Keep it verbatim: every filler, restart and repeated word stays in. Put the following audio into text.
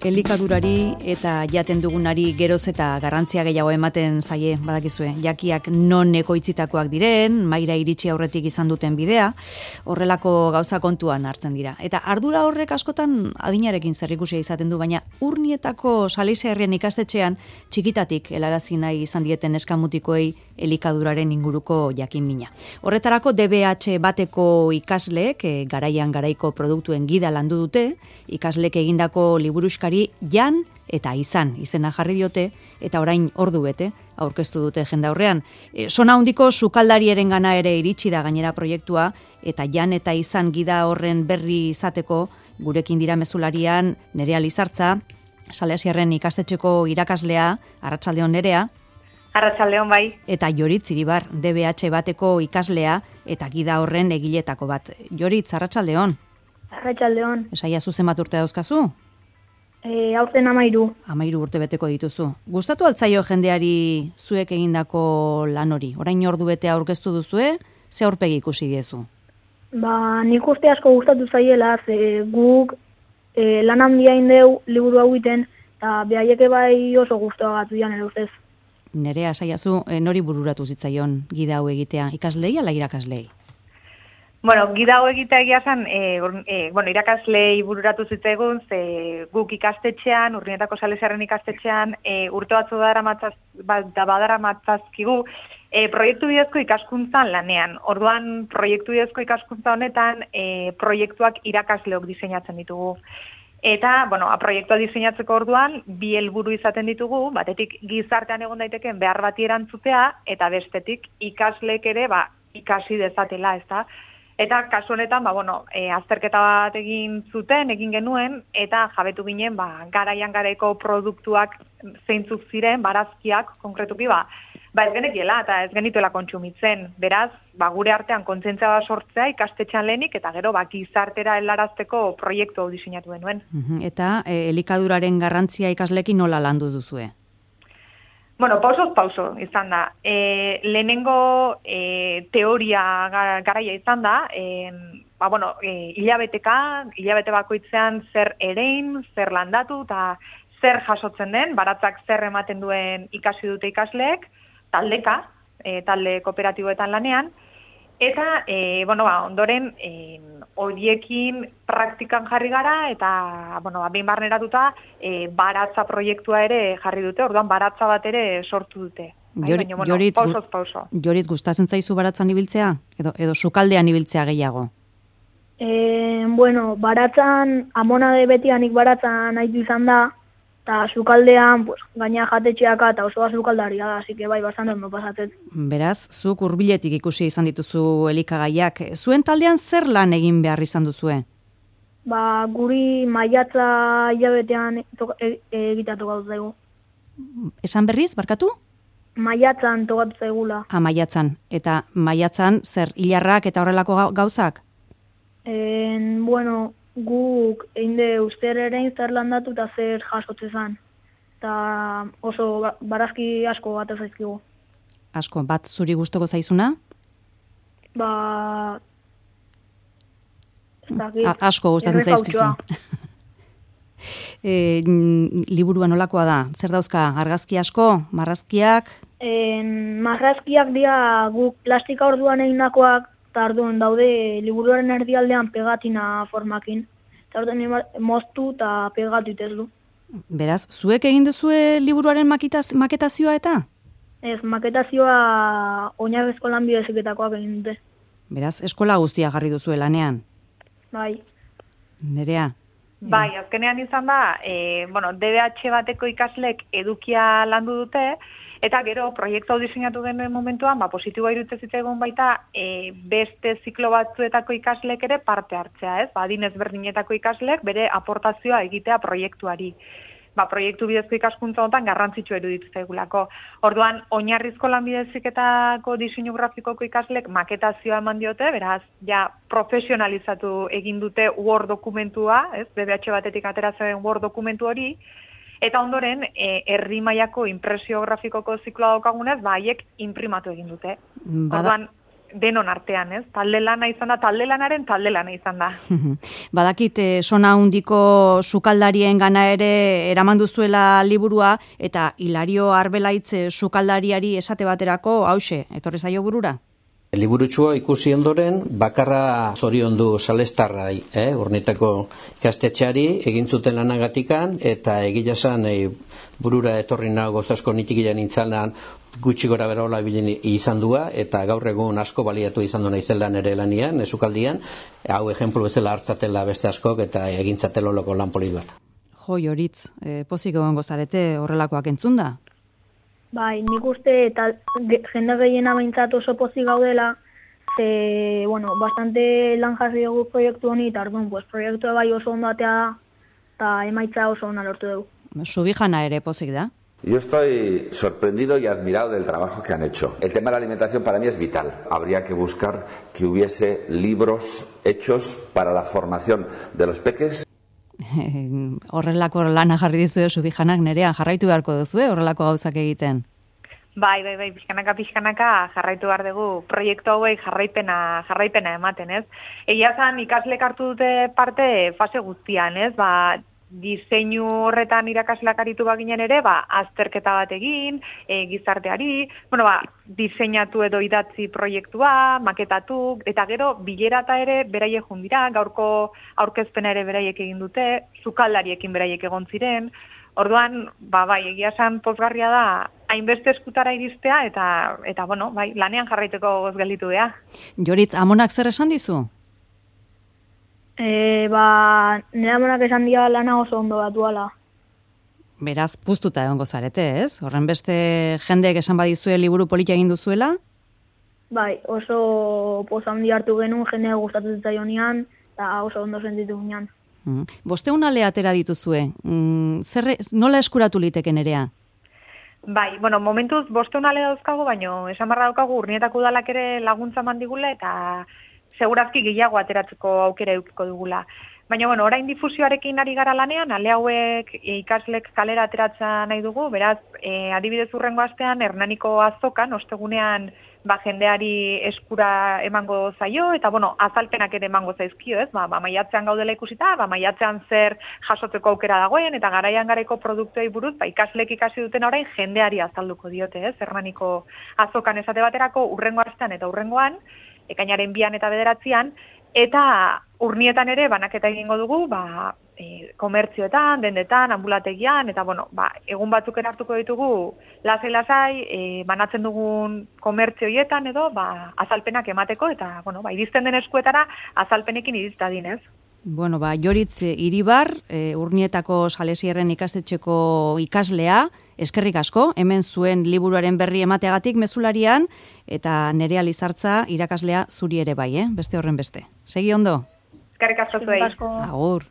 Elikadurari eta jaten dugunari geroz eta garrantzia gehiago ematen zaie, badakizue, jakiak non ekoitzitakoak diren, maira iritsi aurretik izan duten bidea, horrelako gauza kontuan hartzen dira. Eta ardura horrek askotan adinarekin zerrikusia izaten du, baina Urnietako Salesa Herrien ikastetxean txikitatik helarazi nahi izan dieten eskamutikoei elikaduraren inguruko jakin mina. Horretarako D B H bateko ikasleek e, garaian garaiko produktuen gida landu dute, ikasleek egindako liburuskari Jan eta Izan izena jarri diote eta orain ordu bete aurkeztu dute jendaurrean. E, sona handiko sukaldariaren gana ere iritsi da gainera proiektua eta Jan eta Izan gida horren berri izateko gurekin dira mezularian Nerea Lizartza, Salesa Herrien ikastetxeko irakaslea, arratsaldeon Nerea. Arratsaldeon bai. Eta Joritz Iribar, D B H bateko ikaslea eta gida horren egiletako bat. Joritz, arratsaldeon. Arratsaldeon. Esaiazu zenbat urte dauzkazu? E, aurten amairu. Amairu urte beteko dituzu. Gustatu altzaio jendeari zuek egindako lan hori? Orain ordu bete aurkeztu duzue, ze aurpegi ikusi diezu? Ba, nik uste asko gustatu zaiela, ze guk e, lan handia indeu liburu hau iten, eta behaieke bai oso guztua gatu dian, ere ustez. Nerea, saiazu, nori bururatu zitzaion gida hau egitea, ikaslei ala irakaslei? Bueno, gida hau egitea egia zen, e, e, bueno, irakaslei bururatu zitzaigun, ze guk ikastetxean, Urnietako Salesa Herrien ikastetxean, e, urte batzu badara matzazkigu, e, proiektu bidezko ikaskuntzan lanean. Orduan, proiektu bidezko ikaskuntza honetan, e, proiektuak irakasleok diseinatzen ditugu. Eta, bueno, proiektua diseinatzeko orduan, bi helburu izaten ditugu, batetik gizartean egon daiteken behar bati erantzutea, eta bestetik ikasleek ere, ba, ikasi dezatela, ezta? Eta kasu honetan, ba, bueno, e, azterketa bat egin zuten, egin genuen, eta jabetu ginen, ba, garaian garaiko produktuak zeintzuk ziren, barazkiak, konkretuki, ba, ba ez genekiela, eta ez genituela kontsumitzen. Beraz, ba, gure artean kontzientzia bat sortzea ikastetxean lehenik, eta gero, ba, gizartera helarazteko proiektu hau diseinatu genuen. Eta e, elikaduraren garrantzia ikasleekin nola landu duzue? Bueno, pausoz pauso izan da. E, lehenengo e, teoria garaia izan da, e, ba, bueno, e, hilabeteka, hilabete bakoitzean zer erein, zer landatu, eta zer jasotzen den, baratzak zer ematen duen ikasi dute ikasleek, taldeka, e, talde kooperatiboetan lanean, eta, e, bueno, ba, ondoren, e, horiekin praktikan jarri gara, eta, bueno, ba, behin barneratuta, e, baratza proiektua ere jarri dute, orduan baratza bat ere sortu dute. Jori, Baina, bueno, Joritz, pausoz pauso. Joritz, gustatzen zaizu baratzan ibiltzea? Edo, edo sukaldean ibiltzea gehiago? E, bueno, baratzan, amona de betianik baratzan haitu izan da, eta sukaldean, pues, gaina jatetxeaka eta osoa sukaldaria da, así que bai, bastante ondo pasatzen. Beraz, zuk hurbiletik ikusi izan dituzu elikagaiak. Zuen taldean zer lan egin behar izan duzue? Ba, guri maiatza hilabetean e, e, egitatu gauz zaigu. Esan berriz, barkatu? Maiatzan tokatu zaigula. Ha, maiatzan. Eta maiatzan zer hilarrak eta horrelako gauzak? En, bueno, guk einde uster ere zer landatu eta zer jasotze zan. Eta oso barazki asko bat zaizkigu. Asko, bat zuri gustoko zaizuna? Ba... A, asko gustatzen zaizkizu. e, liburua nolakoa da? Zer dauzka? Argazki asko? Marrazkiak? En, marrazkiak dira guk plastika orduan egindakoak, eta orduan daude liburuaren erdialdean pegatina formakin. Eta orduan moztu eta pegatu itezdu. Beraz, zuek egin duzue liburuaren maketaz, maketazioa eta? Ez, maketazioa oinarrizko lanbideziketakoak egin dute. Beraz, eskola guztia jarri duzue lanean? Bai. Nerea? Bai, azkenean izan da, e, bueno, D B H bateko ikaslek edukia landu dute, eta gero proiektu hau diseinatu genuen momentuan, ba, positiboa iruditzen zitzaigun baita, e, beste ziklo batzuetako ikaslek ere parte hartzea, ez? Ba, adin ezberdinetako ikaslek bere aportazioa egitea proiektuari. Ba, proiektu bidezko ikaskuntza honetan garrantzitsua iruditzen zaigulako. Orduan, oinarrizko lanbideziketako diseinu grafikoko ikaslek maketazioa eman diote, beraz, ja, profesionalizatu egin dute Word dokumentua, ez? D B H batetik ateratzen Word dokumentu hori, eta ondoren, e, herri mailako impresio grafikoko zikloa daukagunez, ba, haiek imprimatu egin dute. Bada, Orduan, denon artean, ez? Talde lana izan da, talde lanaren talde lana izan da. Badakit, eh, sona hundiko sukaldarien gana ere eraman duzuela liburua, eta Hilario Arbelaitz sukaldariari esate baterako, hause, etorri zaio burura? Liburutsua ikusi ondoren, bakarra zoriondu salestarrai, eh? Urnietako ikastetxeari, egin zuten lanagatikan, eta egila zan eh, burura etorri nago gozasko nitikilan nintzalan gutxi gora bera hola bilen izan dua, eta gaur egun asko baliatu izan du naizela nere lanian, esukaldian, hau ejemplu bezala hartzatela beste askok, eta egintzatelo loko lan polit bat. Jo, Joritz, eh, pozik egon gozarete horrelakoak entzunda? Bai, nik uste eta jende gehiena behintzat oso pozik gaudela, ze, bueno, bastante lan jarri dugu proiektu honi, eta orduan, pues, proiektu bai oso ondo atea da, eta emaitza oso ona lortu dugu. Subijana ere pozik da? Yo estoy sorprendido y admirado del trabajo que han hecho. El tema de la alimentación para mí es vital. Habría que buscar que hubiese libros hechos para la formación de los peques. Horrelako lana jarri dizue Subijanak, Nerea, jarraitu beharko duzue horrelako gauzak egiten? Bai, bai, bai, pixkanaka, pixkanaka jarraitu behar dugu proiektu hauei jarraipena, jarraipena ematen, ez? Egia zan ikaslek hartu dute parte fase guztian, ez? Ba, diseinu horretan irakasleak aritu baginen ere, ba, azterketa bat egin, e, gizarteari, bueno, ba, diseinatu edo idatzi proiektua, maketatu, eta gero bilerata ere beraiek jundira, gaurko aurkezpena ere beraiek egin dute, sukaldariekin beraiek egon ziren. Orduan, ba, bai, egia esan pozgarria da, hainbeste eskutara iristea, eta, eta bueno, bai, lanean jarraiteko goz gelditu beha. Joritz, amonak zer esan dizu? E, ba, nire amonak esan dira lana oso ondo batuala. Beraz, puztuta egongo zarete, ez? Horren beste jendeek esan badizue liburu polita egin duzuela? Bai, oso poza handi hartu genuen, jendea gustatu zitzaionean, eta oso ondo sentitu ginean. Mm. Bosteun ale atera dituzue. Mm, zer, nola eskuratu liteke Nerea? Bai, bueno, momentuz bosteun ale dauzkagu, baino esan barra daukagu Urnietako udalak ere laguntza mandigula, eta segurazki gehiago ateratzeko aukera edukiko dugula. Baina, bueno, orain difusioarekin ari gara lanean, ale hauek ikaslek kalera ateratza nahi dugu, beraz, e, adibidez urrengo astean, Hernaniko azokan, ostegunean, ba, jendeari eskura emango zaio, eta, bueno, azalpenak ere emango zaizkio, ez? Ba, ba, maiatzean gaudela ikusita, ba, maiatzean zer jasotzeko aukera dagoen, eta garaian garaiko produktuei buruz, ba, ikaslek ikasi duten orain jendeari azalduko diote, ez? Hernaniko azokan esate baterako, urrengo astean eta urrengoan, ekainaren bian eta bederatzian, eta Urnietan ere banaketa egingo dugu, ba, e, komertzioetan, dendetan, ambulategian, eta bueno, ba, egun batzuk hartuko ditugu lasai-lasai, e, banatzen dugun komertzioietan edo, ba, azalpenak emateko, eta bueno, ba, iristen den eskuetara azalpenekin iristadin, ez? Bueno, ba, Joritz Iribar, e, Urnietako Salesierren ikastetxeko ikaslea, eskerrik asko, hemen zuen liburuaren berri emateagatik mezularian, eta Nerea Lizartza irakaslea zuri ere bai, eh? Beste horren beste. Segi ondo? Eskerrik asko zuei. Agur.